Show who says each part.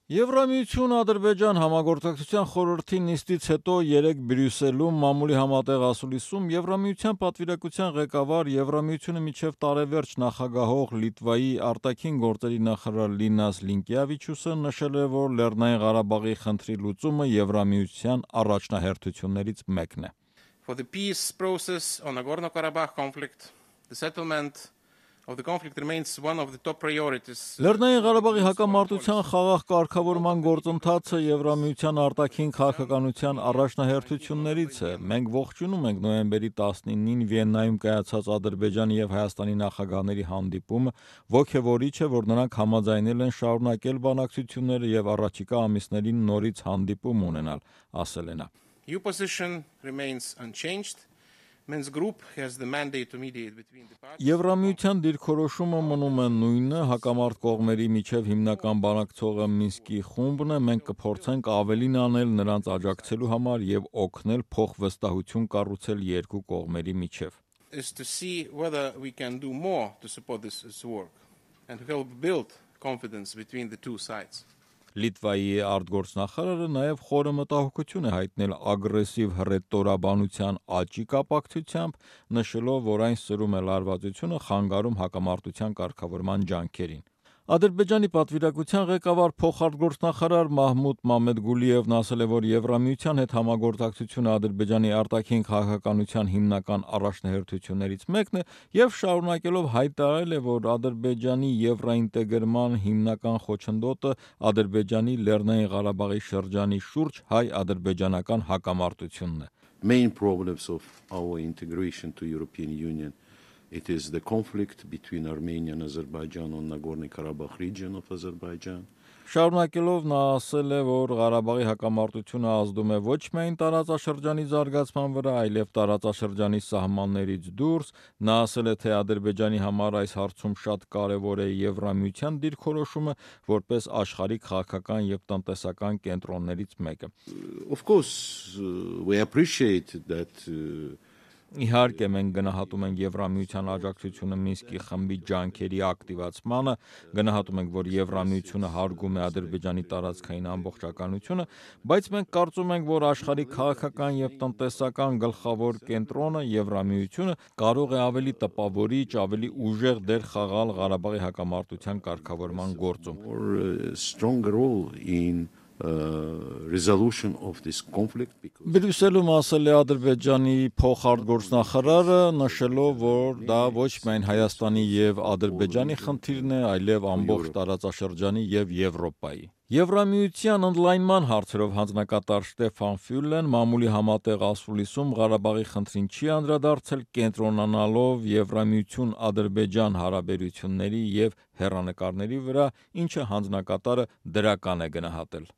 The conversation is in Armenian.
Speaker 1: Եվրամիություն-Ադրբեջան համագործակցության խորհրդի նիստից հետո երեկ Բրյուսելում մամուլի համատեղ ասուլիսում Եվրամիության պատվիրակության ղեկավար Եվրամիությունը մինչև տարեվերջ նախագահող Լիտվայի արտաքին գործերի նախարար Լինաս Լինկեավիչյուսը նշել է, որ Լեռնային Ղարաբաղի խնդրի լուծումը Եվրամիության առաջնահերթություններից մեկն է.
Speaker 2: For the peace process on Nagorno-Karabakh conflict, the settlement of the conflict remains one of the top priorities.
Speaker 1: Լեռնային Ղարաբաղի հակամարտության խաղաղ կարգավորման գործընթացը Եվրամիության արտաքին քաղաքականության առաջնահերթություններից է։ Մենք ողջունում ենք նոյեմբերի 19-ին Վիեննայում կայացած Ադրբեջանի եւ Հայաստանի նախագահների հանդիպումը, ոգևորիչ է, որ նրանք համաձայնել են շարունակել բանակցությունները եւ առաջիկա ամիսներին նորից հանդիպում ունենալ, ասել է նա.
Speaker 2: Your position remains unchanged. Minsk Group has the mandate to mediate between the parties.
Speaker 1: Եվրամիության դիրքորոշումը մնում է նույնը, հակամարտ կողմերի միջև հիմնական բանակցողը Մինսկի խումբն է, մենք կփորձենք ավելին անել նրանց աջակցելու համար եւ օգնել փոխվստահություն կառուցել երկու կողմերի միջև.
Speaker 2: Is to see whether we can do more to support this work and to help build confidence between the two sides.
Speaker 1: Լիտվայի արտգործնախարարը նաև խորը մտահոգություն է հայտնել ագրեսիվ հռետորաբանության աճի կապակցությամբ, նշելով, որ այն սրում է լարվածությունը, խանգարում հակամարտության կարգավորման ջանքերին։ Ադրբեջանի պատվիրակության ղեկավար փոխարտգործնախարար Մահմուդ Մամեդգուլիևն ասել է, որ Եվրամիության հետ համագործակցությունը Ադրբեջանի արտաքին քաղաքականության հիմնական առաջնահերթություններից մեկն է եւ շարունակելով հայտարարել է, որ Ադրբեջանի եվրոինտեգրման հիմնական խոչընդոտը Ադրբեջանի Լեռնային Ղարաբաղի շրջանի շուրջ հայ-ադրբեջանական հակամարտությունն է.
Speaker 3: Main problems of our integration to European Union. It is the conflict between Armenia and Azerbaijan on Nagorno-Karabakh region of Azerbaijan.
Speaker 1: Շարունակելով նա ասել է, որ Ղարաբաղի հակամարտությունը ազդում է ոչ միայն տարածաշրջանի զարգացման վրա, այլև տարածաշրջանի սահմաններից դուրս։ Նա ասել է, թե Ադրբեջանի համար այս հարցում շատ կարևոր է Եվրամիության դիրքորոշումը, որպես աշխարհի քաղաքական եւ տնտեսական կենտրոններից մեկը։
Speaker 3: Of course, we appreciate that
Speaker 1: Իհարկե, մենք գնահատում ենք Եվրամիության աջակցությունը Մինսկի խմբի ջանքերի ակտիվացմանը, գնահատում ենք, որ Եվրամիությունը հարգում է Ադրբեջանի տարածքային ամբողջականությունը, բայց մենք կարծում ենք, որ աշխարհի քաղաքական եւ տնտեսական գլխավոր կենտրոնը Եվրամիությունը կարող է ավելի տպավորիչ, ավելի ուժեղ դեր խաղալ Ղարաբաղի հակամարտության կարգավորման գործում։
Speaker 3: Stronger role in resolution of this conflict.
Speaker 1: Բրյուսելում ասել է Ադրբեջանի փոխարտգործնախարարը, նշելով, որ դա ոչ միայն Հայաստանի եւ Ադրբեջանի խնդիրն է, այլև ամբողջ տարածաշրջանի եւ Եվրոպայի։ Եվրամիության ընդլայնման հարցերով հանձնակատար Շտեֆան Ֆյուլեն մամուլի համատեղ ասուլիսում Ղարաբաղի խնդրին չի անդրադարձել, կենտրոնանալով Եվրամիություն-Ադրբեջան հարաբերությունների եւ հեռանկարների վրա, ինչը հանձնակատարը դրական է գնահատել։